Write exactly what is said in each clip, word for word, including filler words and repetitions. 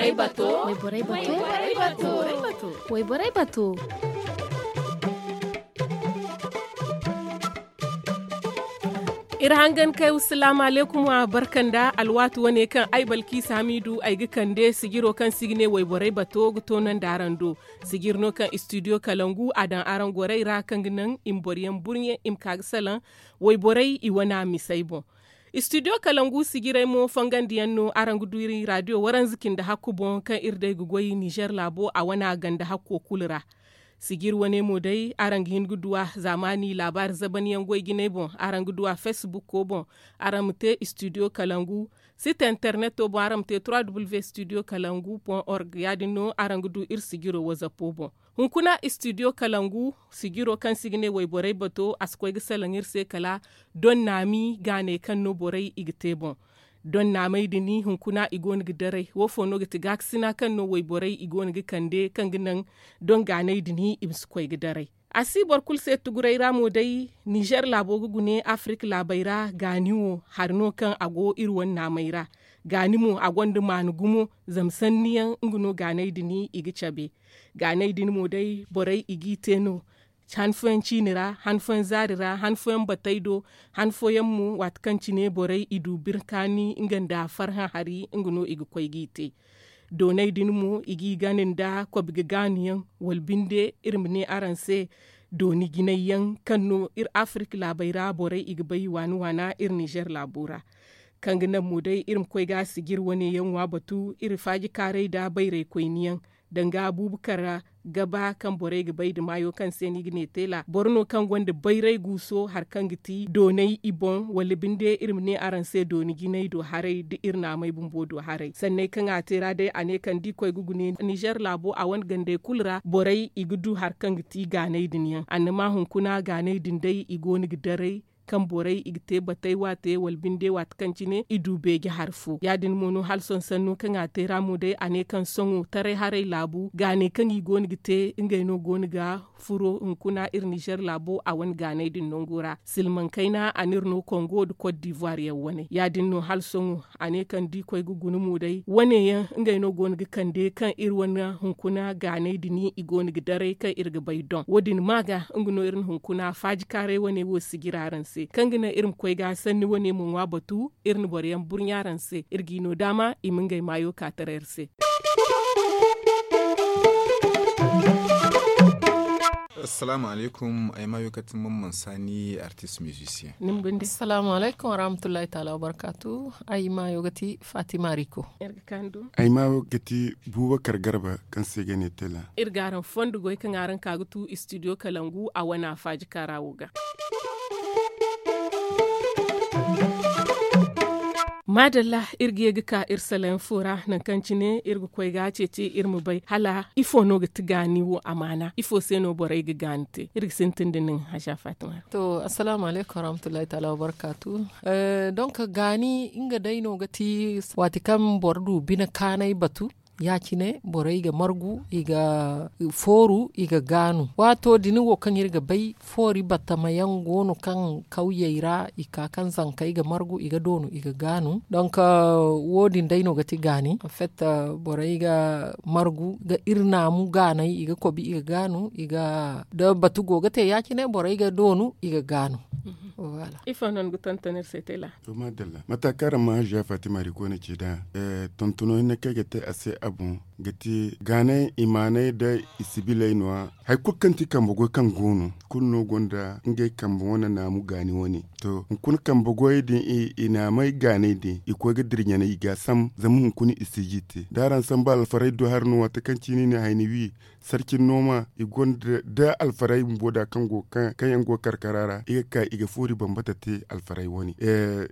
Wayborey bato. Wayborey bato. Wayborey bato. Iri hangan kay wa salaamu alaykum wa barka nda alwaati wane kaŋ ay balkiisa hamiidu ay ga kande sijiro kaŋ se i ga ne wayborey bato ga toonandi araŋ do. Sijiri no kaŋ istidiyo kalangu a daŋ araŋ gorey ra kaŋ ga naŋ i ma boro yaŋ burɲe i ma ka ga salaŋ wayborey i wana misey boŋ. Istidiyo kalangu sijirey mo fangandi yaŋ no araŋ ga du iri raadiyo waranza cindi hakku boŋ kaŋ iri day ga goy ninzeer laabo a wana ganda hakko kulu ra. Sijiri wane mo day araŋ ga hin ga du a zaamaani laabaari zaban yaŋ goy jinay boŋ. Araŋ ga du a feesibuko boŋ. Araŋ ma te istidiyo kalangu site interneto boŋ araŋ ma te trois w istidiyo kalangu point org ya- din no araŋ ga du iri sijiro wazapo boŋ. Hunkuna istidiyo kalangu sijiro kaŋ se i ga ne wayborey bato a si koy ga salaŋ iri se kala don naami gaaney kaŋ no borey i ga te boŋ. Don naamey din hunkuna i go no ga daray wo fo no ga ti gaakasina kaŋ no wayborey i go no ga kande kaŋ ga naŋ don gaaney din i ma si koy ga daray. A si boro kulu se tuguray ra mo day ninzeer laabo ga gune afirik laabey ra gaani wo hari no kaŋ a go iri wane naamey ra. Gaani mo a gonda maana gumo zama sanni yaŋ nga no gaaney din i ga cabe. Gaaney din mo day borey i g'i te no han fooyaŋ ciini ra han fooyaŋ zaari ra han fooyaŋ batey do. Han fooyaŋ mo waati kaŋ cine borey i du birkaani nga nda farhã hari nga no i ga koy g'i te. Dooney din mo i g'i gana nda kobi ga gaanu yaŋ wala binde iri ma ne araŋ se dooni jinay yaŋ kaŋ no iri afirik laabey ra borey i ga bay waana waana iri ninzeer laabo ra. Kaŋ ga naŋ mo day iri ma koy ga sijiri wane yaŋ ŋwa batu iri faaji kaaray nda bayraykoyni yaŋ danga buubu kara gaba kaŋ borey ga bay nda maayo kaŋ se no i ga ne teela boro no kaŋ gonda bayray guuso hari kaŋ ga ti doonay i boŋ wala binde iri ma ne araŋ se dooni jinay do haray nda iri naamay bumbo do haray sanney kaŋ a te ra day a ne kaŋ da i koy ga gune ninzeer laabo a wane gandey kulu ra borey i ga du hari kaŋ ga ti gaanay din yaŋ annama hunkuna gaanay din day i go no ga daray kaŋ borey i ga te batey waate wala binde waati kaŋ cine i du beeje hari fo ya- din mo no hala sohõ sanno kaŋ a te ra mo day a ne kaŋ sohõ taray haray laabu gaanay kaŋ i go no ga te ngey no go no ga furo hunkuna iri nizer laabo a wane gaanay din nango ra silmaŋ kayna a n'iri no kongo nda kot divuwar yaŋ wane ya- din no hala sohõ a ne kaŋ da i koy ga guna mo day wane yaŋ ngey no go no ga kande kaŋ iri wane hunkuna gaanay din i go no ga daray kaŋ iri ga bay doŋ wo- din ma ga nga no iri na hunkuna faajikaaray wane wo sijira araŋ se kaŋ ga naŋ iri ma koy ga sanni wane ma ŋwa batu iri na boro yaŋ burɲa araŋ se iri g'i no daama i ma ngey maayo ka taray iri se. Assalaamu alaykum. Ay maayo ga ti mamman saani artist musicien. Assalaamu alaykum warahmatullahi taala wabarkaatu. Ay maayo ga ti fatima riko. Ay maayo ga ti buubakar garba kaŋ se ga ne tela. Iri ga araŋ fondo goy kaŋ araŋ ka ga tu istidiyo kalangu a wana faajikaara wo ga. Maadalla, iri ga ye ga ka iri salayaŋ fo ra nangu kaŋ cine iri ga koy ga a ceeci iri ma bay hala ifo no ga ti gaani wo amaana ifo se no borey ga gaani te iri ga sintin da nin haza fatima ra. To, assalaamu alaykum warahmatullahi taala wabarkaatu. Donk gaani nga day no ga ti waati kaŋ boro du bine kaanay batu ya- cine borey ga margu i ga fooru i ga gaanu waato din wo kaŋ iri ga bay foori batama yaŋ go no kaŋ kawyey ra i ka kaŋ zankey ga margu i ga doonu i ga gaanu donk wo- din day no ga ti gaani anfet borey ga margu ga iri naamu gaanay i ga kobi i ga gaanu i ga da batu go ga te ya- cine borey ga doonu i ga gaanu. Ifo no ni ga tonton iri se tela? To maadalla mata kaŋ araŋ ma haziya fatima ri koy na ci nd'a tontono hinne kaŋ ay ga te a se a boŋ ga ti gaanay imaanay nda i sibiley no- ya hari kulu kaŋ ti kambe goy kaŋ go no kulu no gonda ngey kambe wane naamu gaani wane. To hunkuna kambe goyey din i naamay gaanay din i koy ga dira ɲanay i ga a sambu zama hunkuna i si ga i te da araŋ sambu alfaray do hari no waati kaŋ ciini ne hayni wi sarcin nooma i gonda da alfaray bumbo da kaŋ go kaŋ yaŋ go karkara ra i ga ka i ga foori bambata te alfaray wane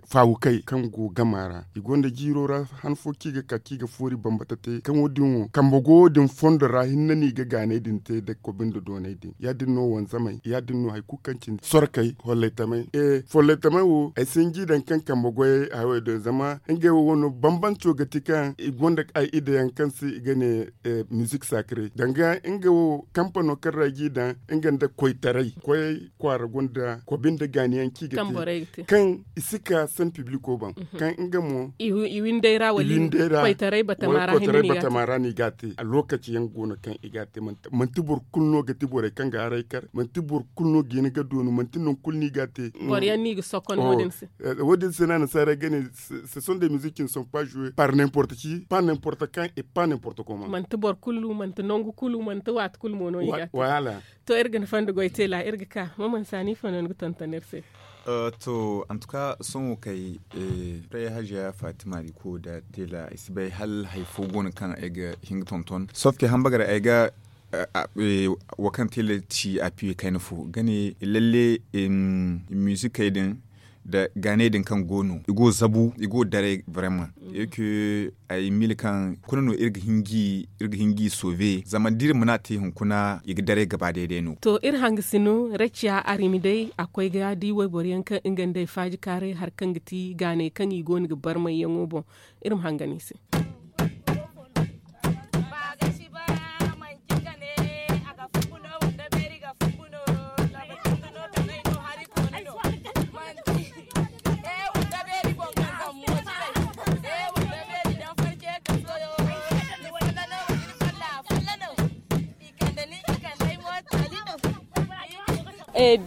faawukey kaŋ go gama ra i gonda jiiro ra han fo kaŋ i ga ka kaŋ i ga foori bambata te kaŋ wo- din Kambe goyo din fondo ra hinne no i ga gaanay din te nda kobi nda doonay din ya- din no wanzamay ya- din no hari kulu kaŋ cine sorkey follaytamay. Follaytamay wo ay si hin ga i daŋ kaŋ kambe goyey hayo din zama ngey wo wano bambanco ga ti kaŋ i gonda ay ide yaŋ kaŋ se i ga ne mizik sakare danga nga wo kampano kaŋ ra ay g'i daŋ nga nda koytaray koyey kwaara gonda kobi nda gaani yaŋ kaŋ i ga te kaŋ i si ka san pibliko boŋ kaŋ nga mo i winday ra wala i winday ra koytaray batama ra no i ga a te a lokaci yaŋ go no kaŋ i ga a te manti boro kulu no ga ti borey kaŋ ga haray kar manti boro kulu no ga hin ga doonu manti nangu kulu no i ga a te boro yaŋ no i ga sokon wo- din se wo- din se no a nasaara ga ne ce sont des musiques qui ne sont pas jouées par n'importe qui pas n'importe quand et pas n'importe comment manti boro kulu manti nangu kulu manti waati kulu mo no i ga a te to iri ga ni fondo goy teela iri ga ka maman saani ifo no ni ga tonton iri se to antuka sohõ kay day hajiya fatima riko nda teela ay si bay hala hari fo go no kaŋ ay ga hin ga tonton sofke hambagaray ay ga wo kaŋ teela ci a piyo kayna fo ga ne lalle misikey din nda gaanay din kaŋ go no i go zabu i go daray brema ay mili kaŋ kuna no iri ga hin g'i sove zama da iri mana te hunkuna i ga daray gaba day day no to iri hangasino raciya arimi day a koy ga di wayboro yaŋ kaŋ nga nda ay faaji kaaray hari kaŋ ga ti gaanay kaŋ i go no ga barmay yaŋo boŋ iri ma hangan i se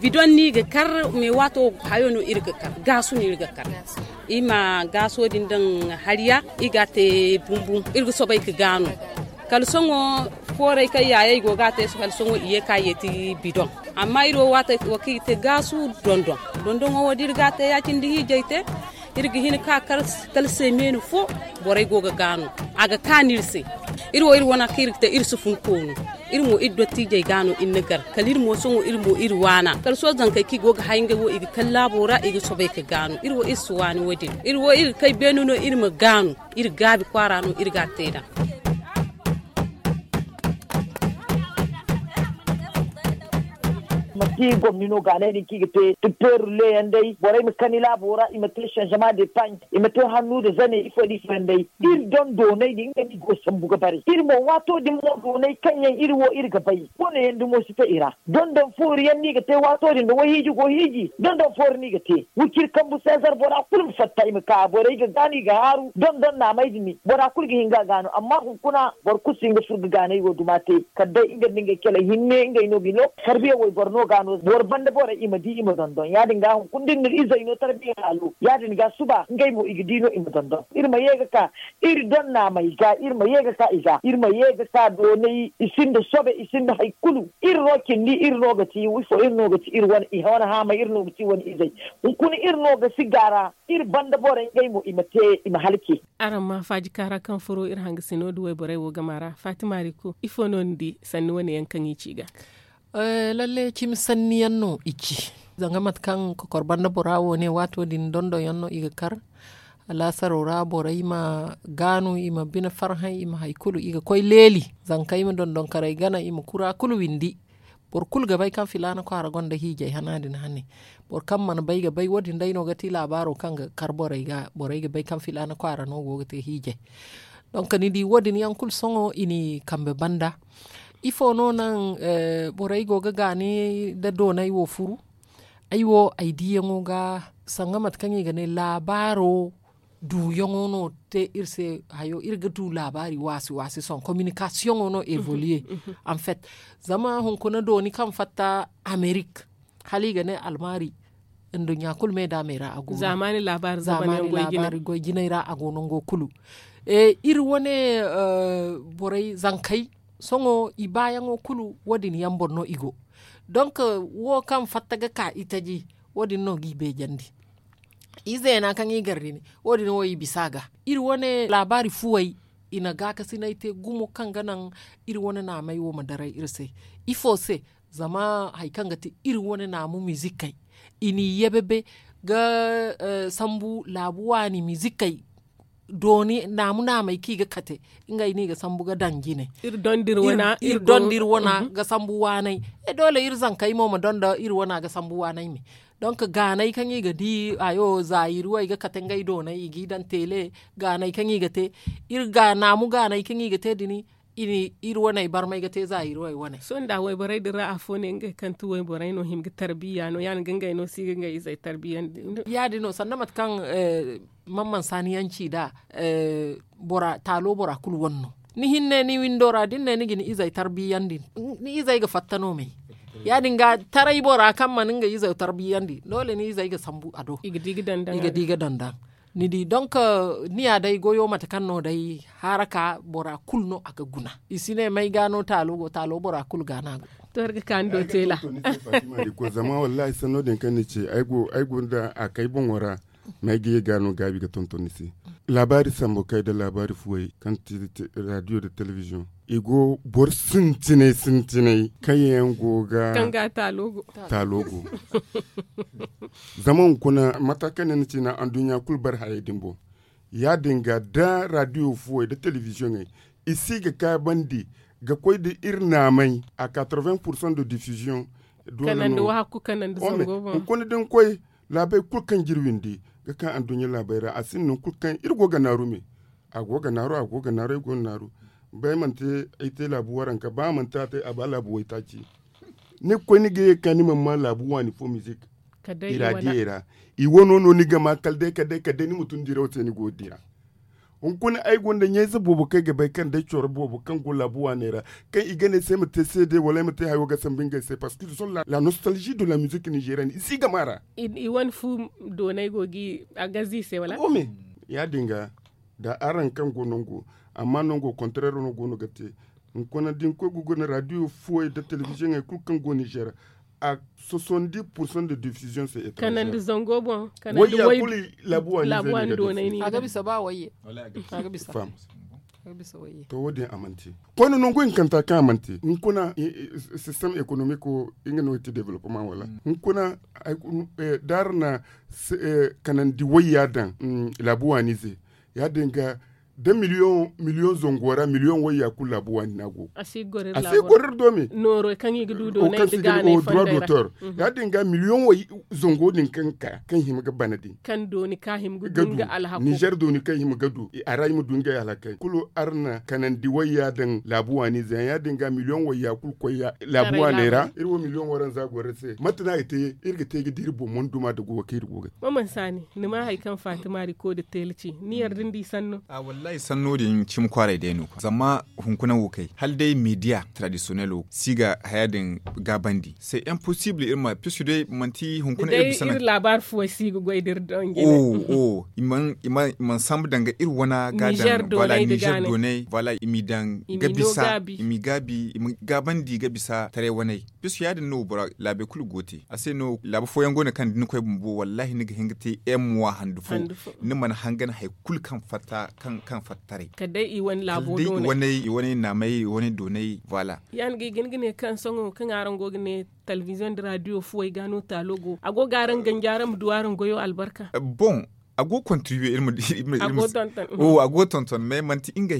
bidon no i ga kar me waato hayo no iri ga kar gaasu no iri ga kar i ma gaaso din daŋ hariya i ga a te bumbum iri ga soobay ga gaanu kala sohõ fooray kaŋ yaayey go ga a te kala sohõ i ye ka yeeti bidon amma iri wo waati wo kaŋ i ga te gaasu dondon dondoŋo wo da iri ga a te ya- cine da hiijay te iri ga hin ka kar kala seemeeni fo borey go ga gaanu a ga kaanu iri se iri wo iri wane kaŋ iri ga te iri si fun koonu iri mo iri dottiijey gaanu iri na gar kala iri mo sohõ iri mo iri waana kala sohõ zankey kaŋ i go ga hay ngey wo i ga kala laabo ra i ga soobay ga gaanu iri wo iri si waani wo- din iri wo iri ga kay beene no iri ma gaanu iri gaabi kwaara no iri ga a te nd'a manti gomni no gaanay din kaŋ i ga te tuppeeru leeyaŋ day borey ma kani laabo ra i ma te sanzama de paŋ i ma te hannu nda zane ifo nda ifo yaŋ day iri dondoonay din nga no i go sambu ga bare iri mo waato din mo doonay kaŋ yaŋ iri wo iri ga bay wane yaŋ dumo si te i ra dondon foori yaŋ no i ga te waato din nda wayhiiji go hiiji dondon foori no i ga te wiciri kambu seezar bora kulu ma fatta i ma ka borey ga gaanu i ga haaru dondon naamey din bora kulu ga hin ga a gaanu amma hunkuna boro kulu si hin ga furo ga gaanay wo duma te kala day nga nda ngey kele hinne ngey no ga hin no tarbiya wayboro no ga no boro banda borey i ma di i ma dondon ya- din ga hunkuna da iri na iri izey no tarbiya haalo ya- din ga suba ngey mo i ga di no i ma dondon iri ma ye ga ka iri donna may ga iri ma ye ga ka i ga iri ma ye ga ka doonay i sinda sobe i sinda hari kulu iri no cindi iri no ga ci ifo iri no ga ci iri wane i wane haamay iri no ga ci wane izey hunkuna iri no ga si gaara iri banda borey ngey mo i ma te i ma halci araŋ ma faaji kaara kaŋ furo iri hangasino nda wayborey wo gama ra fatima riko ifo no ni di sanni wane yaŋ kaŋ i ci ga lalle cimi sanni yaŋ no i ci zanga mate kaŋ kokor banda bora wo ne waato din dondon yaŋ no i ga kar alaasaro ra borey ma gaanu i ma bine farhã i ma hari kulu i ga koy leeli zanka i ma dondonkarey gana i ma kura kulu windi boro kulu ga bay kaŋ filaana kwaara gonda hiijay hana din hane boro kaŋ mana bay ga bay wo- din day no ga ti laabaaro kaŋ ga kar borey ga borey ga bay kaŋ filaana kwaara no go ga te hiijay donk ni di wo- din yaŋ kulu sohõ i n'i kambe banda ifo no naŋ borey go ga gaani nda doonay wo furu ay wo ay diyaŋo ga sanga mate kaŋ i ga ne laabaaro duuyaŋo no te iri se hayo iri ga du laabaari waasi waasi sohõ kominikasiyoŋo no evoliye anfet zama hunkuna dooni kaŋ fatta amerik hala i ga ne almaari nduɲɲa kulu me daamey ra a go no zaamaani laabaari goy jinay ra a go nango kulu iri wane borey zankey sohõ i baayaŋo kulu wo- din yaŋ boŋ no i go donk wo kaŋ fatta ga ka itaji wo- din no g'i beejandi izeena kaŋ i gar din wo- din wo i bisa a ga iri wane laabaari fuwey i na gaakasinay te gumo kaŋ ga naŋ iri wane naamey wo ma daray iri se ifo se zama hari kaŋ ga ti iri wane naamu mizikey i n'i yebebe ga sambu laabu waani mizikey dooni naamu naamey kaŋ i ga kate ngey no i ga sambu ga daŋ jine. Iri dondi iri wana ga sambu waanay. Doole iri zankey mo ma donda iri wana ga sambu waanay me. Donk gaanay kaŋ i ga di hayo zaayiri wo ay ga kate ngey doonay i g'i daŋ teele. Gaanay kaŋ i ga te iri ga naamu gaanay kaŋ i ga te din. Iri waney barmay ga te zaayiri wo ay wane. Sohõ nda wayborey din ra afo ne ngey kaŋ ti wayborey no hima ga tarbiya no ya- din ga ngey no si ga ngey izey tarbiyandi. Ya- din no sanda mate kaŋ man mansaaniyaŋ ci nd'a. Taalo bora kulu wane no. Ni hinne ni windo ra da ni ne ni ga ni izey tarbiyandi, ni izey ga fatta no me. Ya- din ga taray bora kaŋ mana ngey izey tarbiyandi doole ni izey ga sambu a do. I ga di ga daŋ daŋ. Ni di donk, ni ya day goyo mate kaŋ no day haraka bora kulu no a ga guna. I si ne may ga no taalo go taalo bora kulu ga no a go. To iri ga ka ni do teela. Zama wallahi sanno din kaŋ ni ce ay go nda a kay boŋo ra. May ga ye ga no gaabi ga tonton ni se. Laabaari sambu kay nda laabaari fuwey kaŋ ti radiyo nda telebiziyoŋ. I go boro sintinay sintinay kaŋ yaŋ go ga taalo go. Zama hunkuna mata kaŋ ne ni ci na anduɲɲa kulu bare hayey din boŋ. Ya- din ga da radiyo fuwey nda telebiziyoŋey i si ga kaabandi ga koy nda iri naamay a quatre-vingts pour cent de diffusion. Hunkuna da ni koy laabey kulu kaŋ ga iri windi ga ka anduɲɲa laabey ra a sinda nangu kulu kaŋ iri go ga naaru me. A go ga naaru a go ga naaru ay go ga naaru. Ba ay mana te ay te laabu waranka ba a mana te a te a ba laabu waytaaci. Ni ga koy ni ga ye ga ka ni mana ma laabu waani fo mizik. I ra diyey ra i wano no ni ga ma kala day kala day kala day ni ma tun diraw se ni go ga dira. Hunkuna ay gonda ɲayze boobo kaŋ ay ga bay kaŋ day coro boobo kaŋ go laabu waaney ra kaŋ i ga ne se ay ma te seede wala ay ma te hayo ga sambu ngey se parceque i zon la nostalzi de la mizik nizerienne i si ga ma ra. I wane fu doonay go ga a gazi i se wala? Ya- din ga da araŋ kaŋ go nango amma nango kontareero no go no ga te. Hunkuna da ni koy ga guna radiyo fuwey nda telebiziyoŋey kulu kaŋ go nizer a soixante dix pour cent de diffusion se etrangère. Kanandi zango boŋ kanandi wayya kulu laabu waani doonay ni a ga bisa ba wayye. A ga bisa. To wo- din a mana te koyne nangu hinkanta kaŋ a mana te hunkuna sistem ekonomiko nga no ga te developement wala hunkuna da araŋ na kanandi wayya daŋ laabu waani ze. Ya- din ga da miliyoŋ miliyoŋ zango ra miliyoŋ wayya kulu laabu waani no a go a si goro iri do me. Noorey kaŋ i ga du doonay nda gaanay fondey ra. Ya- din ga miliyoŋ way zango din kaŋ ga ka kaŋ hima ga bana din kaŋ dooni ka hima ga du nga alhako nizer dooni kaŋ hima ga du a ra i ma du ngey alhakey kulu araŋ na kanandi wayya daŋ laabu waani ze yaŋ ya- din ga miliyoŋ wayya kulu koy laabu waaney ra iri wo miliyoŋ waranza goro iri se mate no a ga te iri ga te ga di iri boŋ mana duma nda goyo kaŋ iri go ga te. Ni ma hari kaŋ fatima riko da teela ci ni yarda ni di sanno? A wallahi sanno din cimi kwaaray day no zama hunkuna wo kay hala day media tradisiyonel wo si ga haya din gaabandi se imposibili iri ma puisque day manti hunkuna iri bisa naŋ. Laabaari fuwey si ga goy da iri daŋ jine. I mana sambu daŋ ga iri wana ga daŋ nizer doonay wala i m'i daŋ ga bisa i m'i gaabi i ma gaabandi ga bisa taray waney. Puisque ya- din no bora laabey kulu go te a se no laabu fooyaŋ go no kaŋ da ni koy bumbo wallahi ni ga hin ga te em wa handu fo. Ni mana hangan hari kulu kaŋ fatta taray kala day i wane naamay i wane doonay. Voilà. Ya- din ga i ga hin ga ne kaŋ sohõ kaŋ araŋ go ga ne talbiziyoŋ nda radiyo fuwey ga no taalo go a go ga araŋ ganji araŋ ma du araŋ goyo albarka. Boŋ a go ga kontribiye iri ma di iri ma di a go ga tonton mais manti ngey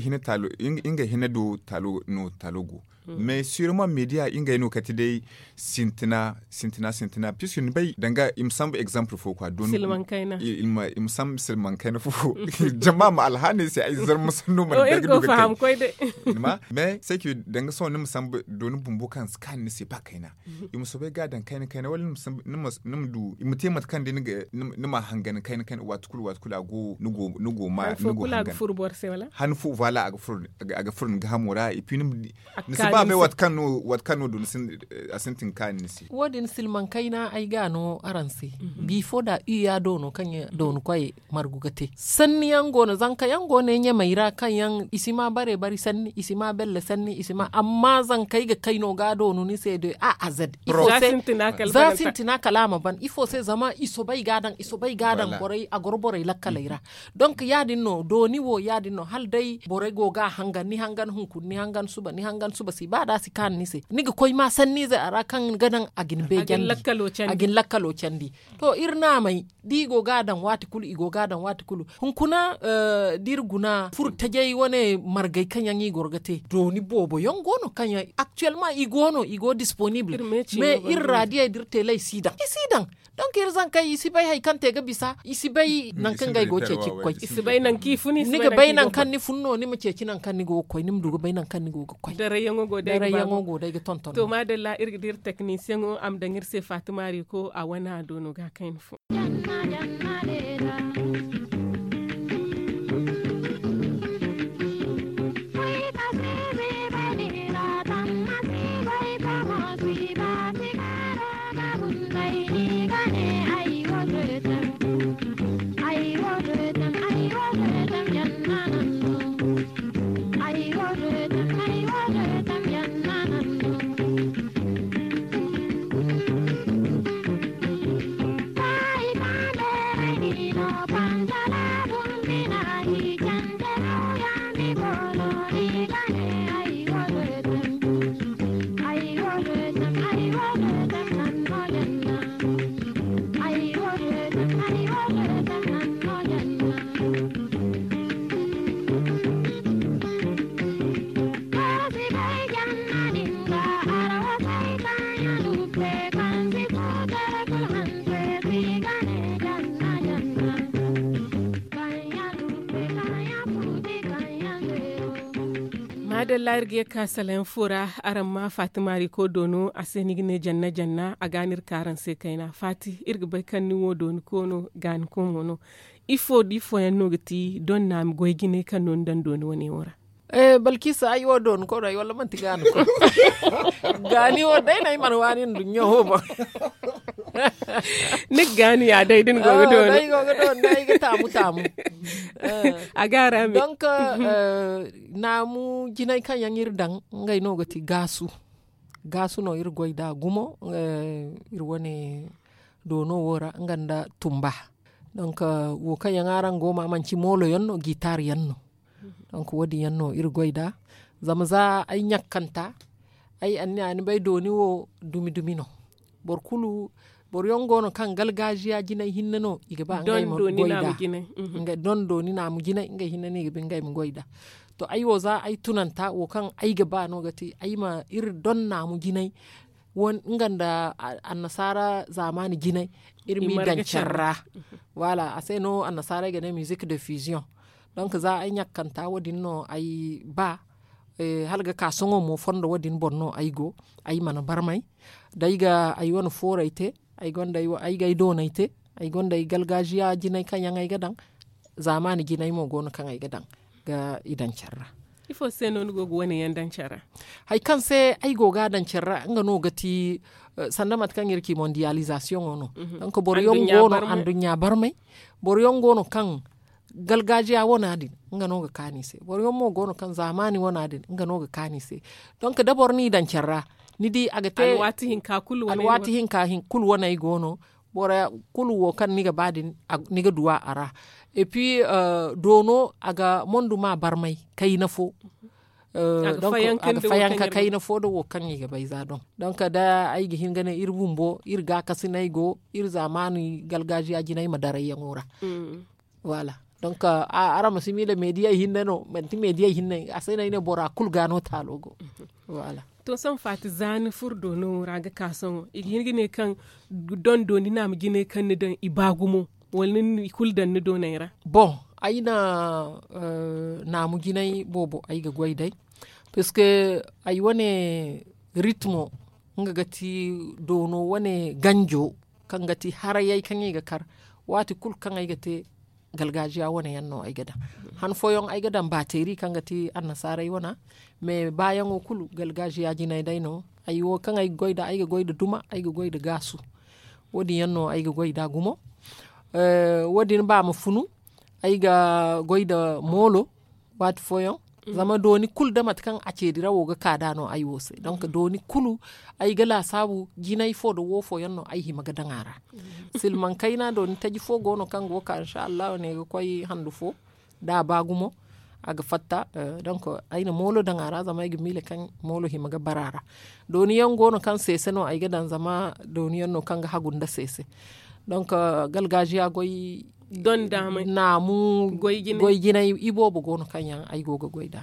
hina do taalo no taalo go. Mais siroma media ngey no kate day sintina sintina sintina puisque ni bay danga i ma sambu exemple fo quoi dooni i ma sambu silmaŋ kayna fo. Jama ma alhaaney se ay zarma sanno mana danga du ga kay. Mais c'est que danga sohõ ni ma sambu dooni bumbo kaŋ si kaani ni se ba kayna i ma soobay ga daŋ kayna kayna wala ni ma du i ma te mate kaŋ day ni ma hangan kayna kayna waati kulu waati kulu a go ni go ma ni go hangan. Han fo voilà a ga furo ni ga hamo ra et puis ni ma di ni si ba bay waati kaŋ no waati kaŋ no do ni sintin kaani ni se. Wo- din silmaŋ kayna ay ga no araŋ se. Bifo da iya do no kaŋ dooni koy margu ga te sanni yaŋ go no zanka yaŋ go no ɲamey ra kaŋ yaŋ i si ma bare bari sanni i si ma belle sanni i si ma amma zankey ga kay no ga doonu ni se de a a zed ifo se za sintina kala a ma ban ifo se zama i soobay ga daŋ i soobay ga daŋ borey a goro borey lakkaley ra. Donk ya- din no dooni wo ya- din no hala day borey go ga a hangan ni hangan hunkuna ni hangan suba ni hangan suba. ba da a si kaanu ni se ni ga koy ma sanniizey a ra kaŋ ga naŋ a ga ni beejandi. A ga ni lakkalo candi. To iri naamey da i go ga a daŋ waati kulu i go ga a daŋ waati kulu. Hunkuna da iri guna furo tajey wane margey kaŋ yaŋ i goro ga te dooni boobo yaŋ go no kaŋ yaŋ aktuwelma i go no i go disponibul. Me iri raadiyey da iri teeley si daŋ i si daŋ. Donk iri zankey i si bay hari kaŋ te ga bisa i si bay nangu kaŋ ga ay go ceeci ga koy. Ni ga bay nangu kaŋ ni fun no ni ma ceeci nangu kaŋ ni go ga koy ni ma du ga bay nangu kaŋ ni go ga koy. Darayyaŋo go day ga tonton. To maadalla iri ga di iri teknisiyaŋo a ma daŋ iri se faati maari ko a wane a do no ga a kayna fo. Maadalla iri ga ye ga ka salayaŋ fo ra. Araŋ ma faati maari ko doono a se ni ga ne janna janna a ga no iri ka araŋ se kayna faati iri ga bay kaŋ ni wo dooni ko no gaani ko mo no. Ifo da ifo yaŋ no ga ti doŋ na a ma goy jinay kaŋ no ni daŋ dooni wane wo ra? Balkiisa ay wo dooni ko no ay walla manti gaani ko? Gaani wo day no ay mana waani nduɲɲa wo boŋ. Ni ga gaani ya day da ni go ga dooni. Ay go ga dooni day ay ga taamu taamu. A ga a ra me donk naamu jinay kaŋ yaŋ iri daŋ ngey no ga ti gaasu. Gaasu no iri goy nd'a gumo. Iri wane doono wo ra nga nda tumba. Donk wo kaŋ yaŋ araŋ go ma manci moolo yaŋ no gitar yaŋ no. Donk wo- din yaŋ no iri goy nd'a. Zama za ay ɲakkanta ay anniya ni bay dooni wo dumi dumi no. Boro kulu boro yaŋ go no kaŋ galgaaziya jinay hinne no i ga ba ngey ma goy nd'a. Doŋ dooni naamu jinay ngey hinne no i ga ba ngey ma goy nd'a. To ay wo za ay tunanta wo kaŋ ay ga ba no ga ti ay ma iri doŋ naamu jinay nga nda annasaara zaamaani jinay iri m'i daŋ care ra. Waala a se no annasaarey ga ne musique de fusion. Donk za ay ɲakkanta wo- din no ay ba hala ga ka sohõ mo fondo wo- din boŋ no ay go. Ay mana barmay da ay ga ay wane fooray te. Ay ga ay doonay te. Ay gonda ay galgaaziya jinay kaŋ yaŋ ay ga daŋ. Zaamaani jinay mo go no kaŋ ay ga daŋ ga i daŋ care ra. Ifo se no ni go ga wane yaŋ daŋ care ra? Hari kaŋ se ay go ga a daŋ care ra nga no ga ti sanda mate kaŋ iri ci mondiyaalizasiyoŋo no. Donk boro yaŋ go no anduɲɲa barmay. Boro yaŋ go no kaŋ galgaaziya wana din nga no ga kaanu i se. Boro yaŋ mo go no kaŋ zaamaani wana din nga no ga kaanu i se. Donk da boro n'i daŋ care ra ni di a ga te alwaati hinka kulu waney go no. Boro kulu wo kaŋ ni ga ba din ni ga duw'a a ra. Epi doono a ga mondu ma barmay kayna fo. A ga fayanka kayna fo nda wo kaŋ i ga bay za doŋ. Donk da ay ga hin ga ne iri bumbo iri gaakasinay go iri zaamaani galgaaziya jinay ma darayyaŋo ra. Waala. Donk araŋ ma si miila meediyey hinne no manti meediyey hinne a se no ay ne bora kulu ga no taalo go. Waala. To sohõ faati za ni furo doono wo ra ga ka sohõ i ga hin ga ne kaŋ doŋ dooni naamu jinay kaŋ ni daŋ i ba gumo wala ni na i kulu daŋ ni dooney ra? Boŋ ay na naamu jinay boobo ay ga goy day. Puisque ay wane ritmo nga ga ti doono wane ganjo kaŋ ga ti harayey kaŋ i ga kar waati kulu kaŋ ay ga te galgaaziya wane yaŋ no ay ga daŋ. Han fooyaŋ ay ga daŋ baateeri kaŋ ga ti annasaarey wana. Mais baayaŋo kulu galgaaziya jinay day no. Ay wo kaŋ ay ga goy nd'a ay ga goy nda duma ay ga goy nda gaasu. Wo- din yaŋ no ay ga goy nd'a gumo. Wo- din ba ma funu ay ga goy nda moolo waati fooyaŋ. Zama dooni kulu nda mate kaŋ a ceedi ra wo ga ka nd'a no ay wo se donk dooni kulu ay ga laasaabu jinay fo nda wo fooyaŋ no ay hima ga daŋ a ra. Silmaŋ kayna dooni taji fo go no kaŋ go ga ka insa allahu ne ga koy handu fo da a ba gumo. A ga fatta. Donk ay na moolo daŋ a ra zama ay ga miila kaŋ moolo hima ga bara a ra. Dooni yaŋ go no kaŋ seese no ay ga daŋ zama dooni yaŋ no kaŋ ga hagu nda seese. Donk galgaaziya goy naamu goy jinay iboobo go no kaŋ yaŋ ay go ga goy nd'a.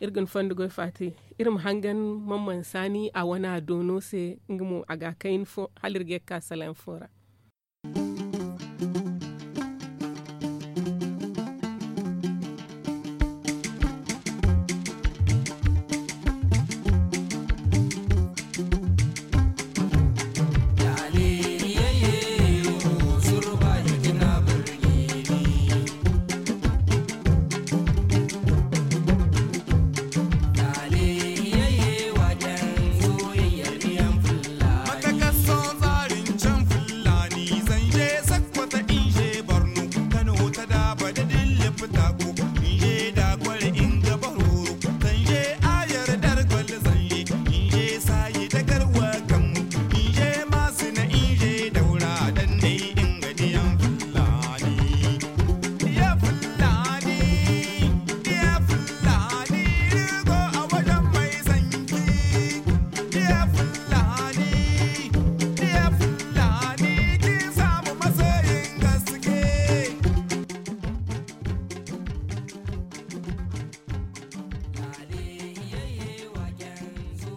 Iri ga ni fondo goy faati. Iri ma hangan mamman saani a wana doono se nga mo a ga a kayna fo hala iri ga ye ga ka salaŋ fo ra.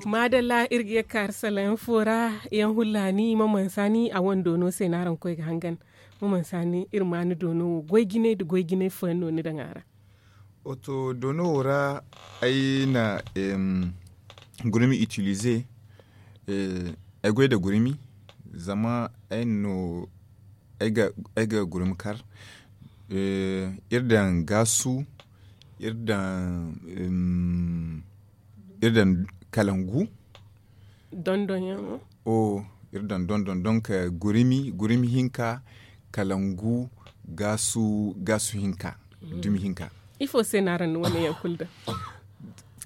Maadalla, iri ga ye ga ka iri salaŋ fo ra. Yaŋ hullaani, mamansa ni a wando no se no araŋ koy ga hangan. Mamansa ni iri ma ni doono wo goy jinay nda goy jinay fooyaŋ no ni daŋ a ra? Wato doono wo ra ay na gurmi itilize. Ay goy nda gurmi zama ay na no ay ga gurmi kar. Iri daŋ gaasu, iri daŋ kalangu. Dondon yaŋ wo? Iri daŋ dondon donk gurmi gurmi hinka, kalangu, gaasu hinka, dumi hinka. Ifo se no araŋ na wane yaŋ kulu daŋ?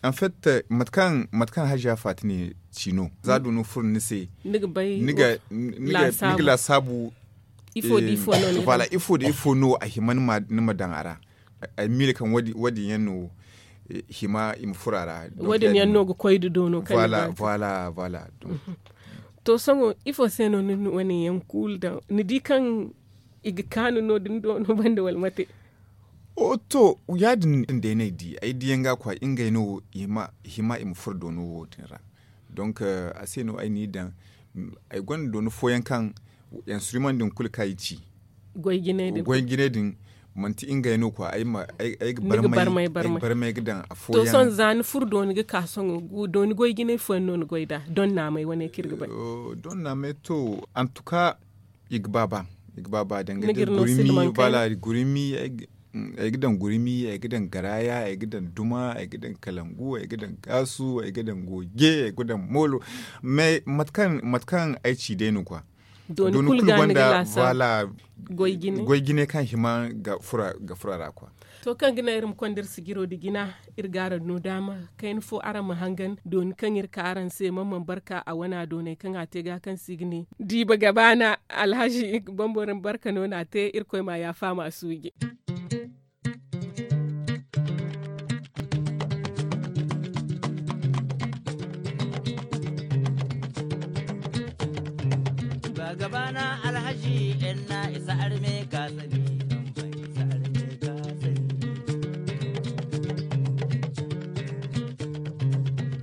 En fait, mate kaŋ haziya faati ne ci no za du no furo ni se, ni ga laasaabu. Ifo da ifo no a hima ni ma daŋ a ra? Ay miila kaŋ wo- din yaŋ no hima i ma furo a ra. Wo- din yaŋ no ga koy da doono kaŋ ni ga te. To sohõ ifo se no ni na wane yaŋ kulu daŋ? Ni di kaŋ i ga kaanu no- din doono banda wala mate? To ya- din day no ay di ay diyaŋ ga kwa ngey no hima i ma furo doono wo- din ra. Donk a se no ay n'i daŋ. Ay gonda doono fooyaŋ kaŋ instrument din kulu kaŋ ay ci goy jinay din manti ngey no kwa ay ga barmay ga daŋ a fooyaŋ. To sohõ za ni furu dooni ga ka sohõ dooni goy jinay fooyaŋ no ni goy nd'a? Don naamay wane kaŋ iri ga bay. Don naamay to antuka i ga ba ba i ga ba ba danga da gurmi bala gurmi. Ay ga daŋ gurmi, ay ga daŋ garaya, ay ga daŋ duma, ay ga daŋ kalangu, ay ga daŋ gaasu, ay ga daŋ goje, ay ga daŋ moolo. Mais mate kaŋ ay ci day no kwa dooni kulu gonda, voilà, goy jine kaŋ hima ga fura ra kwa. To kaŋ ga naŋ iri ma konda iri sijiro nda jina, iri ga araŋ no daama kayna fo araŋ ma hangan dooni kaŋ iri ka araŋ se man man barka a wana doonay kaŋ a te ga kaŋ se i ga ne diiba gabaana. Alhazi bambara barka no no a te. Irkoy ma a yaafa ma a suuji. Ba gabana alhaji enna isa arme ka sani.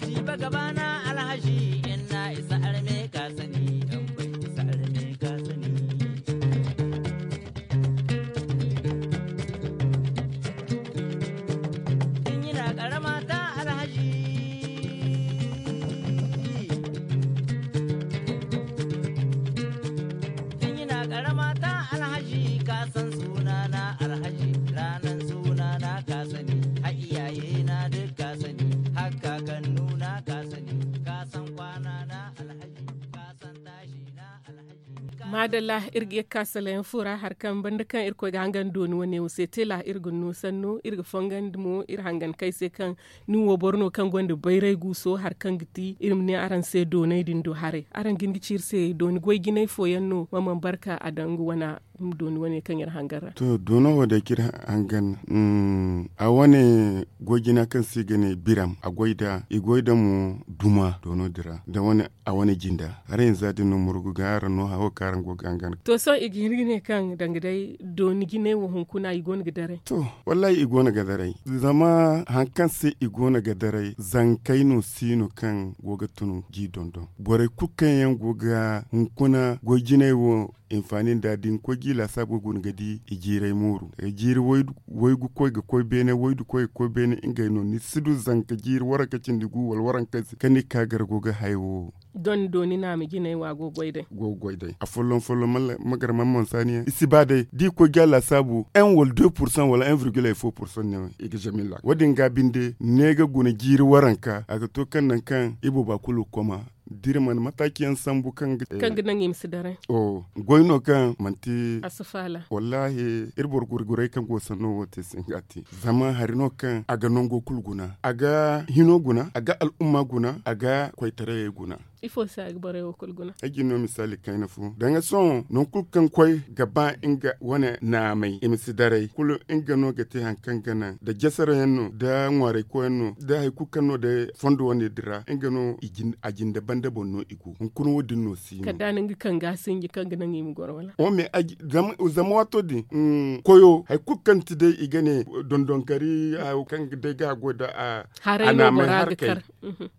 Jiba gabana alhaji enna isa arme ka sani. Tambai isa arme ka sani. Tun yana karama ta alhaji. Tun yana karama ta alhaji. Maadalla, iri ga ye ga ka salayaŋ fo ra hari kaŋ banda kaŋ irkoy ga hangan dooni wane wo se teela iri ga no sanno iri ga fongandi mo iri hangan kay se kaŋ ni wo boro no kaŋ gonda bayray guuso hari kaŋ ga ti iri ma ne araŋ se doonay din do haray. Araŋ ga hin ga ci iri se dooni goy jinay fooyaŋ no ma mana barka a daŋ nga wana? Dooni wane kaŋ iri hangan ra. To doono wo day kaŋ iri hangan a wane goy jina kaŋ se i ga ne biram a goy nd'a i goy nd'a mo duma doono din ra nda wane a wane jinda. Haray hinza din no murgu ga araŋ no hawo kaŋ araŋ go ga hangan. To sohõ i ga hin ga ne kaŋ danga day dooni jinay wo hunkuna i go no ga daray. To, wallahi i go no ga daray. Zama hari kaŋ se i go no ga daray zankey no si no kaŋ go ga tun g'i dondon borey kulu kaŋ yaŋ go ga hunkuna goy jinay wo hinfaani nda da ni koy g'i laasaabo guna ga di i jiiray mooru. Waygu koy ga koy beene waydu koy ga koy beene ngey no ni si du zanka jiiri waranka cindi gu wala waranka se kaŋ ni ga ka gar go ga hayo. Dooni dooni naama jinay wo a go ga goy day. Go ga goy day afolloŋ folloŋ ma gar mana mansaani yaŋ i si ba day da i koy ga a laasaabu un wala deux pursaŋ wala un virgil ay fo pursaŋ no i ga jamilla wo- din ga binde ne ga guna jiiri waranka a ga to kaŋ nangu kaŋ i booba kulu ga koma da iri mana mataaci yaŋ sambu kaŋ ga naŋ i ma si daray. Goy no kaŋ manti a si faala. Wallaahi iri boro gurguray kaŋ go sanno wo te singa te zama hari no kaŋ a ga nango kulu guna a ga hino guna a ga al'umma guna a ga koytarayey guna. Ifo se a ga borey wo kulu guna? Ay ga ni no misaali kayna fo danga sohõ nangu kulu kaŋ koy ga ba nga wane naamay i ma si daray kulu nga no ga te hari kaŋ ga naŋ da jasarayaŋ no da ŋwaaray koyaŋ no da hari kulu kaŋ no day fondo wane din ra nga no a jinde banda boŋ no i go hunkuna wo- din no si no. Kala da a na nga kaŋ ga a sinji kaŋ ga naŋ i ma goro wala? Zama waato din koyo hari kulu kaŋ ti day i ga ne dondonkari hayo kaŋ day ga a goy da a haray no bora ga kar.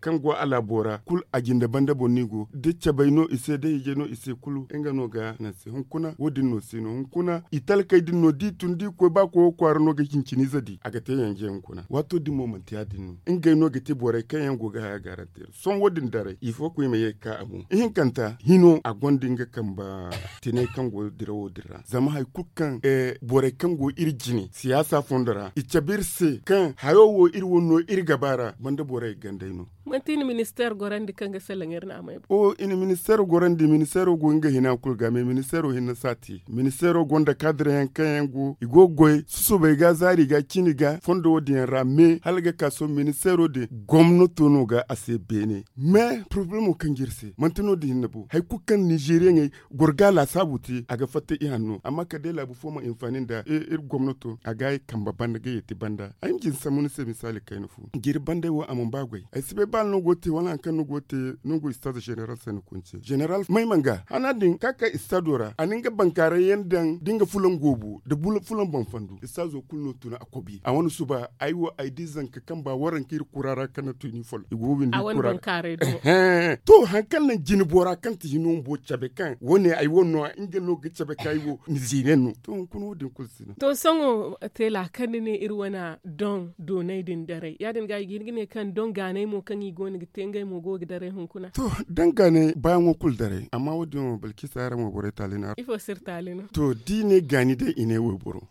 Kaŋ go a laabo ra kulu a jinde banda boŋ no i go da cabay no i se da hijay no i se kulu nga no ga naŋ se hunkuna wo- din no si no hunkuna i talkey din no da i tun da i koy ba koyo kwaara no ga hinciniize di a ga te yanje hunkuna waato din mo manti ya- din no ngey no ga te borey kaŋ yaŋ go ga haya gaarante sohõ wo- din daray ifo koy ma ye ga ka a boŋ ihinkanta hino a gonda nga kamba tinay kaŋ go dirawo din ra zama hari kulu kaŋ borey kaŋ go iri jine siyaasa fondo ra i cabe iri se kaŋ hayo wo iri wane no iri ga ba ra banda borey gandey no. Manti i na ministeer gorandi kaŋ ga salaŋ iri naamey boŋ? I na ministeero gorandi ministeero go nga hina kulu ga mais ministeero hinne si a te ministeero gonda kaadirayaŋ kaŋ yaŋ go i go ga goy susubay ga zaari ga ciini ga fondo wo- din yaŋ ra mais hala ga ka sohõ ministeero din gomnato no ga a se beene mais porobalemo kaŋ ga iri se manti no- din hinne bo hari kulu kaŋ ninzeeriyaŋey goro ga a laasaabu te a ga fatta i hanno amma kala day laabu fo ma hinfaani nda iri gomnato a ga ay kambe banda ga yeeti banda ay ma jin sambu ni se misaali kayna fo jiiri banday wo a mana ba goy ay si bay ba no go ga te wala hari kaŋ no go ga te no go istaaza zeneral se ni kunce zeneral may mana ga hana din ka kay istaado ra a na nga bankaaray yaŋ daŋ da nga fulaŋ goobu nda fulaŋ boŋ fandu istaazo kulu no tun a kobi a wane suba ay wo ay di zanka kaŋ ba waranka iri kura ra kaŋ na tuni follo i go ga windi kura ra. To hari kaŋ naŋ jine bora kaŋ ti hino bumbo cabe kaŋ wane ay wane no nga no ga cabe kaŋ ay wo nizeeriyaŋ no to hunkuna wo- din kulu si no. To sohõ teela kaŋ ni ne iri wane doŋ doonay din daray ya- din ga i ga hin ga ne kaŋ doŋ gaanay mo kaŋ i go no ga te ngey mo go ga daray hunkuna? To daŋ gaanay baayaŋo kulu daray amma wo- din wo balkisa araŋ wo borey taali no. Ifo si iri taali no? To da i ne gaani day i ne wayboro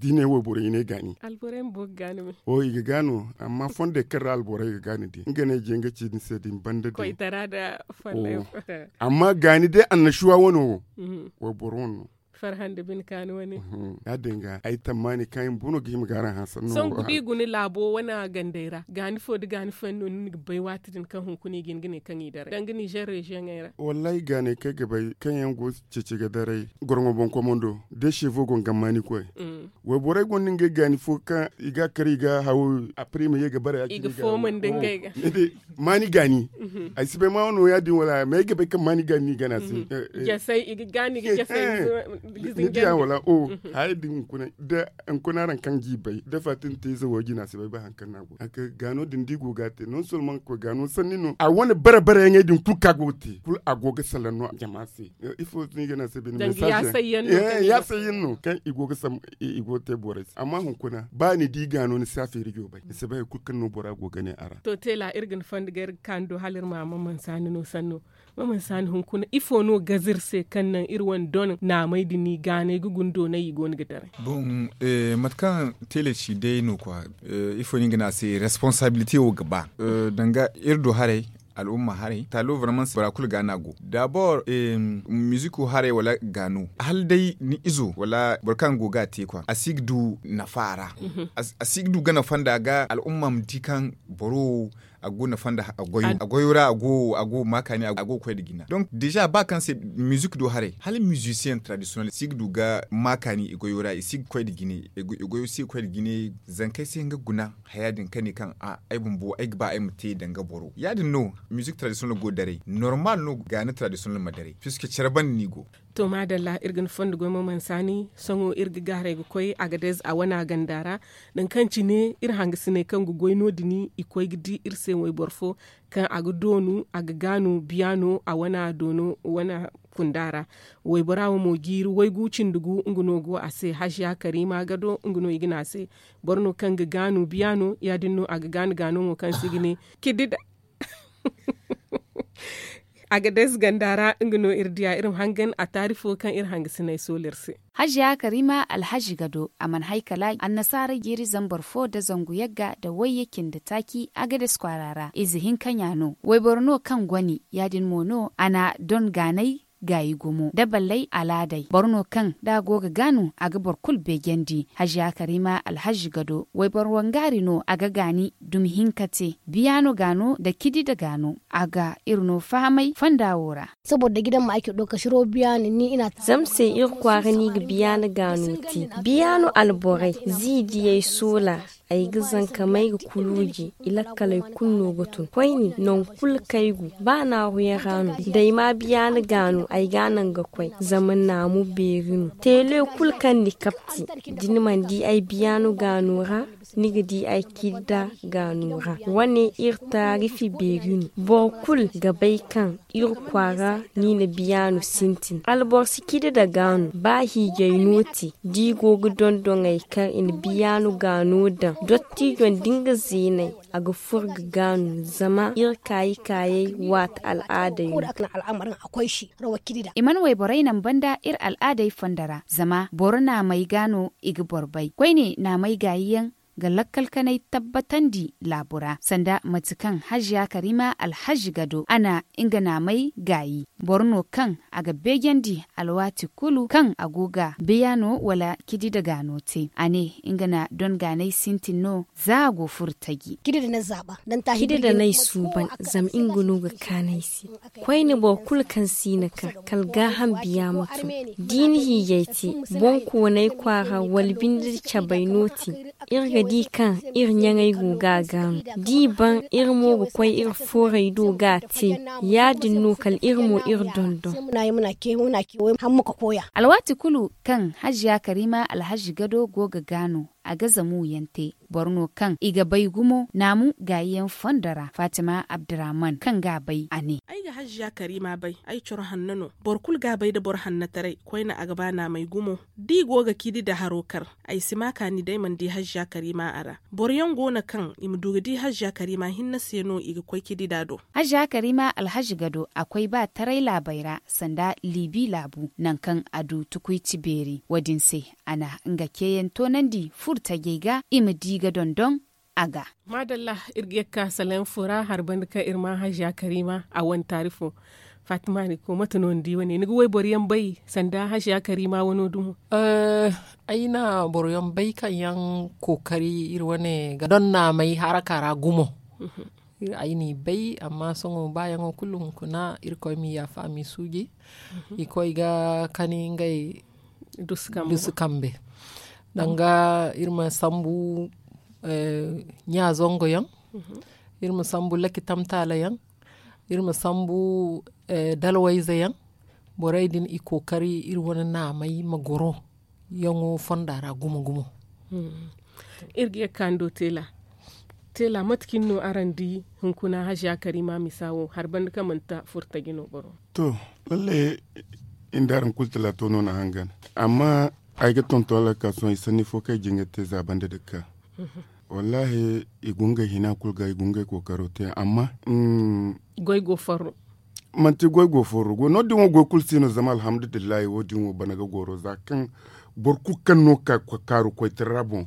da i ne wayboro i ne gaani. Alborey ma bo ga gaani me? O i ga gaano amma fondey kaŋ ra alborey ga gaani din nga ne je nga ci ni se din banda din. Koytara nda follay. Amma gaani day annashuwa wane wo wayboro wane no. Farhande bine kaani wane. Ya- din ga ay tammaani kaŋ ay ma bo no ga hima ga araŋ hanse no. Sohõ ga di guna laabo wane gandey ra gaani fo nda gaani fooyaŋ no ni ga bay waati din kaŋ hunkuna i ga hin ga ne kaŋ i daray danga nizer reziyoŋey ra? Wallaahi gaanay kaŋ ay ga bay kaŋ yaŋ go ceeci ga daray gorŋo boŋ komando da seefo go nga maani koy. Wayborey gonda ngey gaani fo kaŋ i ga a kar i ga hawo apre i ma ye ga bare ya- cine i ga fooma nda ngey ga. Maani gaani. Ay si bay ma no ya- din wala mais ay ga bay kaŋ maani gaani no i gana se. Jasay i ga gaani ga jasay. Ni diya wala o haya din hunkuna da hunkuna araŋ kaŋ g'i bay da fatin te ize wo jina si bay ba hari kaŋ no a go a ga gaano din da i go ga a te non solman koy gaano sanni no a wane bare bare yaŋey din kulu kaŋ a go ga te kulu a go ga salaŋ no jama se. Ifo no i ga ne a se bine mesaje yaasayyaŋ no kaŋ i go ga te borey se amma hunkuna ba ni di gaano ni si a feeri joobay ni si bay hari kulu kaŋ no bora go ga ne a ra. To teela iri ga ni fondo ga iri ga ka ni do hala iri ma maman saani no sanno. Maman saani hunkuna ifo no gaze iri se kaŋ naŋ iri wane don naamey din i gaanay ga guna doonay i go no ga daray? Bon, mate kaŋ teela ci day no kwa, ifo no i ga ne a se responsabilite wo ga ba danga iri do haray. al'umma haray taalo vraiment bora kulu ga no a go dabor. Miziko haray wala gaano hala day ni izo wala boro kaŋ go ga a te kwa a si ga du nafa a ra. A si ga du gana fonda ga al'umma ma di kaŋ boro wo a go nafa nda a goyo ra a go ma kaani a go ga koy nda jina donk deja ba kaŋ se mizik do haray hala mizisiyeŋ tradisiyonel si ga du ga ma kaani i goyo ra i si ga koy nda jine. I goyo si ga koy nda jine zankey se nga guna haya din kaŋ ne kaŋ ay bumbo ay ga ba ay ma te danga boro ya- din no mizik tradisiyonel go daray normal no gaani tradisiyonel ma daray piske care banda no i go. To maadalla iri ga ni fondo goy mo mansaani sohõ iri ga gaaray ga koy agadez a wana ganda ra. Nangu kaŋ cine iri hangasiney kaŋ ga goy no- din i koy ga di iri se wayboro fo kaŋ a ga doonu a ga gaanu biya no a wana doono wana kunda ra. Waybora wo mo jiiri waygu cindi gu nga no go a se haziya kariima gado nga no i ga ne a se. Boro no kaŋ ga gaanu biya no ya- din no a ga gaanu gaano mo kaŋ se i ga ne kidida. Agadez ganda ra nga no iri diya iri ma hangan a taari fo kaŋ iri hangasiney soolu iri se. Haziya karima alhazi gado a mana hay kala annasaara jiiri zambar fo nda zangu yagga nda wayye cindi taaci agadez kwaara ra ize hinka ɲa no wayboro no kaŋ goni ya- din mo no a na don gaanay gaayi gumo nda ballay alaadey boro no kaŋ da a go ga gaanu a ga boro kulu beejandi haziya karima alhazi gado wayboro wangaari no a ga gaani dumi hinka te biyaano gaano nda kidi nda gaano a ga iri no fahamay fonda wo ra. Zama se iri kwaara no i ga biyaano gaano te biyaano alborey ziidiyey soola ay ga zanka may ga kuluuji i lakkaley kulu no ga tun koyne nangu kulu kaŋ ay go ba naaruyaŋ ra no da ay ma biyaano gaano ay ga a naŋ ga koy zama naamu beeri no teele kulu kaŋ ni kapti da ni mana di ay biyaano gaano ra ni ga di ay kidda gaano ra wane iri taarifi beeri no boro kulu ga bay kaŋ iri kwaara no i na biyaano sintin alboro si kidda gaano ba hiijay no te da i go ga dondon ay kaŋ i na biyaano gaano daŋ dottiijo nda nga zeeney a ga furo ga gaanu zama iri kaayi kaayey waati al'aadey no. I mana wayborey naŋ banda iri al'aadey fondo ra zama boro naamey ga no i ga boro bay koyne naamey gaayi yaŋ ga lakkal kanay tabbatandi laabu ra sanda mate kaŋ haziya karima alhazi gado a na nga naamey gaayi boro no kaŋ a ga beejandi alwaati kulu kaŋ a go ga biyaano wala kidi nda gaano te a ne nga na don gaanay sintin no za a go furo taji. Kidi nda no ay suuban zama nga no ga kaanu ay se koyne boro kulu kaŋ si na ka kala gaaham biya ma tun da i na hiijay te boŋkoonay kwaara wala binde nda cabay no te iri ga di kaŋ iri ɲaŋey go ga a gaanu da i ban iri mo ga koy iri fooray do ga a te ya- din no kala iri mo iri dondon. Alwaati kulu kaŋ haziya karima alhazi gado go ga gaanu a ga zamuyaŋ te boro no kaŋ i ga bay gumo naamu gaayiyaŋ fondo ra fatima abdurrahman kaŋ ga a bay a ne. Ay ga haziya karima bay ay coro hanno no boro kulu ga a bay nda boro hannataray koyne a ga ba naamay gumo da i go ga kidi nda haro kar ay si ma kaani day mana di haziya karima a ra boro yaŋ go no kaŋ i ma du ga di haziya karima hinne se no i ga koy kidi nd'a do. Haziya karima alhazi gado a koy ba taray laabey ra sanda liibi laabu nangu kaŋ a du tukuy ci beeri wo- din se a na nga ceeyaŋ toonandi furo tajey ga i ma di ga dondon a ga. Maadalla iri ga ye ga ka salaŋ fo ra hari banda kaŋ iri ma haziya karima a wane taari fo. Fatima ni ko mate no ni di wane ni ga wayboro yaŋ bay sanda haziya karima wano dumo? Ay na boro yaŋ bay kaŋ yaŋ kookari iri wane ga don naamay haraka ra gumo. Ay n'i bay amma sohõ baayaŋo kulu hunkuna irkoy m'i yaafa m'i suuji. I koy ga kani ngey dusu kambe danga iri ma sambu ɲa zango yaŋ, iri ma sambu laki tamtaala yaŋ, iri ma sambu dalwayze yaŋ. Borey din i kookari iri wane naamey ma goro yaŋo fonda ra gumo gumo. Iri ga ye ga ka ni do teela. Teela mate cine no araŋ di hunkuna haziya karima misa wo hari banda kaŋ manti furtaji no boro? To, lalle inda araŋ kulu talaato no na hangan. Amma ay ga tonton alakaasoŋ i sanni fo kaŋ ay jin ga te za banda da ga ka. Wallaahi i go ngey hina kulu ga i go ngey kookaro te amma. Goy go farro. Manti goy go farro go no- din wo goy kulu si no zama alhamdulillahi wo- din wo bana ga goro za kaŋ boro kulu kaŋ no ga ka kaaru koytara ra boŋ.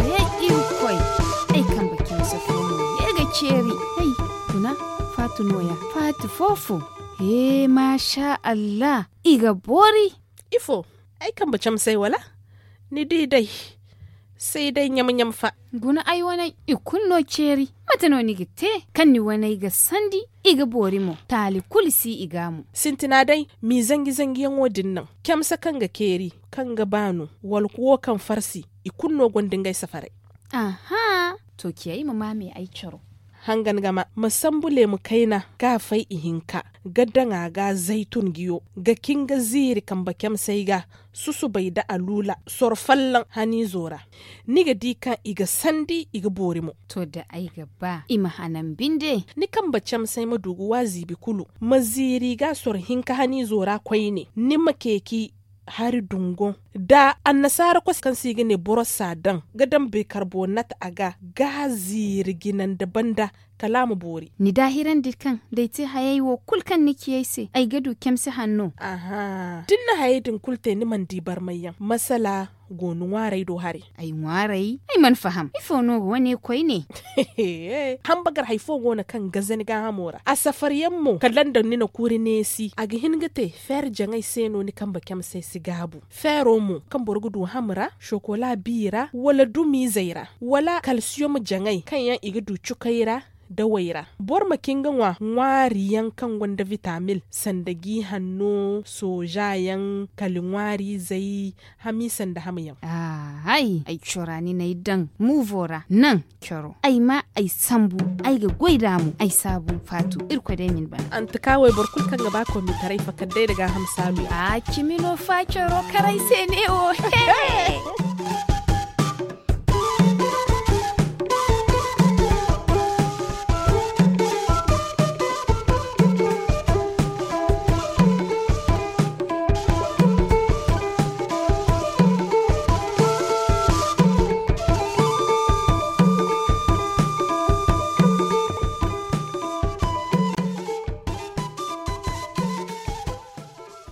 Ay, ay, irkoy. Ay kambe camse fo no ye ga ceeri. Ay, guna, faatu nooya, faatu foofo. He, maasa allah, i ga boori. Ifo? Ay kambe camsey wala? Ni di day. Say day ɲam-ɲam fa. Guna ay waney i kulu no ceeri. Mate no ni ga te? Kaŋ ni waney ga sandi, i ga boori mo, taali kulu si i ga mo. Sintina day, m'i zanji-zanjiyaŋo din naŋ. Camse kaŋ ga keeri, kaŋ ga baanu, wala kuwo kaŋ farsi, i kulu no gonda ngey safaray. Aha. To ciya i ma maame ay caro. Hangan gama ma sambu leemu kayna, ga fay ihinka, ga daŋ a ga zaytun jiyo, ga kin ga ziiri kambe camsey ga, susubay da aluula, soro fallaŋ haniizo ra. Ni ga di kaŋ i ga sandi, i ga boori mo. To da ay ga ba i ma hanan binde. Ni kambe camsey ma du ga wa ziibi kulu, ma ziiri ga soro hinka haniizo ra koyne, ni ma ceeci hari dungo, da annasaara koso kaŋ se i ga ne borosa daŋ ga daŋ beekarbonat a ga, ga ziiri jinandi banda, kala a ma boori. Ni daahirandi kaŋ da ay te hayey wo kulu kaŋ ni ci ay se, ay ga du camse hanno. Aha, da ni na hayey din kulu te, ni mana di barmayyaŋ masala. go ni ŋwaaray do haray. Ay ŋwaaray ay mana faham ifo no ga wane koyne? Hambagar hari fo go no kaŋ ga zan gaahamo ra a safar yaŋ mo kala nda ni na kuuri neesi a ga hin ga te feer jaŋay se no ni kambe camsay si gaabu. Feero mo kaŋ boro ga du ham ra sokola bi ra wala dumiizey ra wala kalsiyom jaŋay kaŋ yaŋ i ga du cukay ra dawey ra. Boro ma cin ga ŋwa ŋwaari yaŋ kaŋ gonda vitamil sanda g'i hanno sooza yaŋ kala ŋwaariizey hamiisa nda ham yaŋ. Ahay ay cora ni n'ay daŋ muuvo ra naŋ coro ay ma ay sambu ay ga goy nd'a mo ay saabu faatu irkoy day ma ni bana. Antaka wayboro kulu kaŋ ga ba kommitaray fakar day nda gaaham saalu yaŋ. A cimi no fa coro karay se ne wo.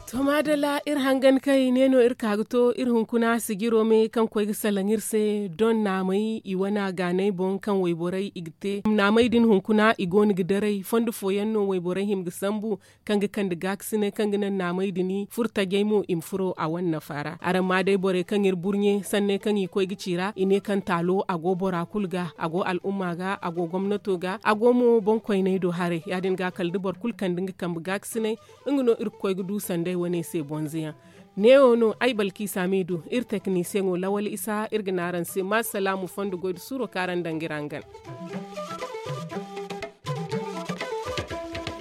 To maadalla iri hangan kay ne no iri ka ga to iri hunkuna sijiro me kaŋ koy ga salaŋ iri se doŋ naamey i wane a gaanay boŋ kaŋ wayborey i ga te naamey din hunkuna i go no ga daray fondo fooyaŋ no wayborey hima ga sambu kaŋ ga kande gaakasinay kaŋ ga naŋ naamey din furo tajey mo i ma furo a wane nafa ra araŋ ma day borey kaŋ iri burɲe sanney kaŋ i koy ga ci ra i ne kaŋ taalo a go bora kulu ga a go al'umma ga a go gomnato ga a go mo boŋkoyney do haray ya- din ga kala da boro kulu kande nga kambe gaakasinay nga no iri ga koy ga du sanday wane se bonzo yaŋ. Neewo no ay balkiisa m'i du iri teknisiyeŋo lawal isa iri ga ne araŋ se ma salaamu fondo goy nda suuro kaŋ araŋ daŋ ga iri hangan.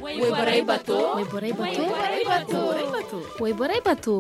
Wayborey bato. Wayborey bato. Wayborey bato.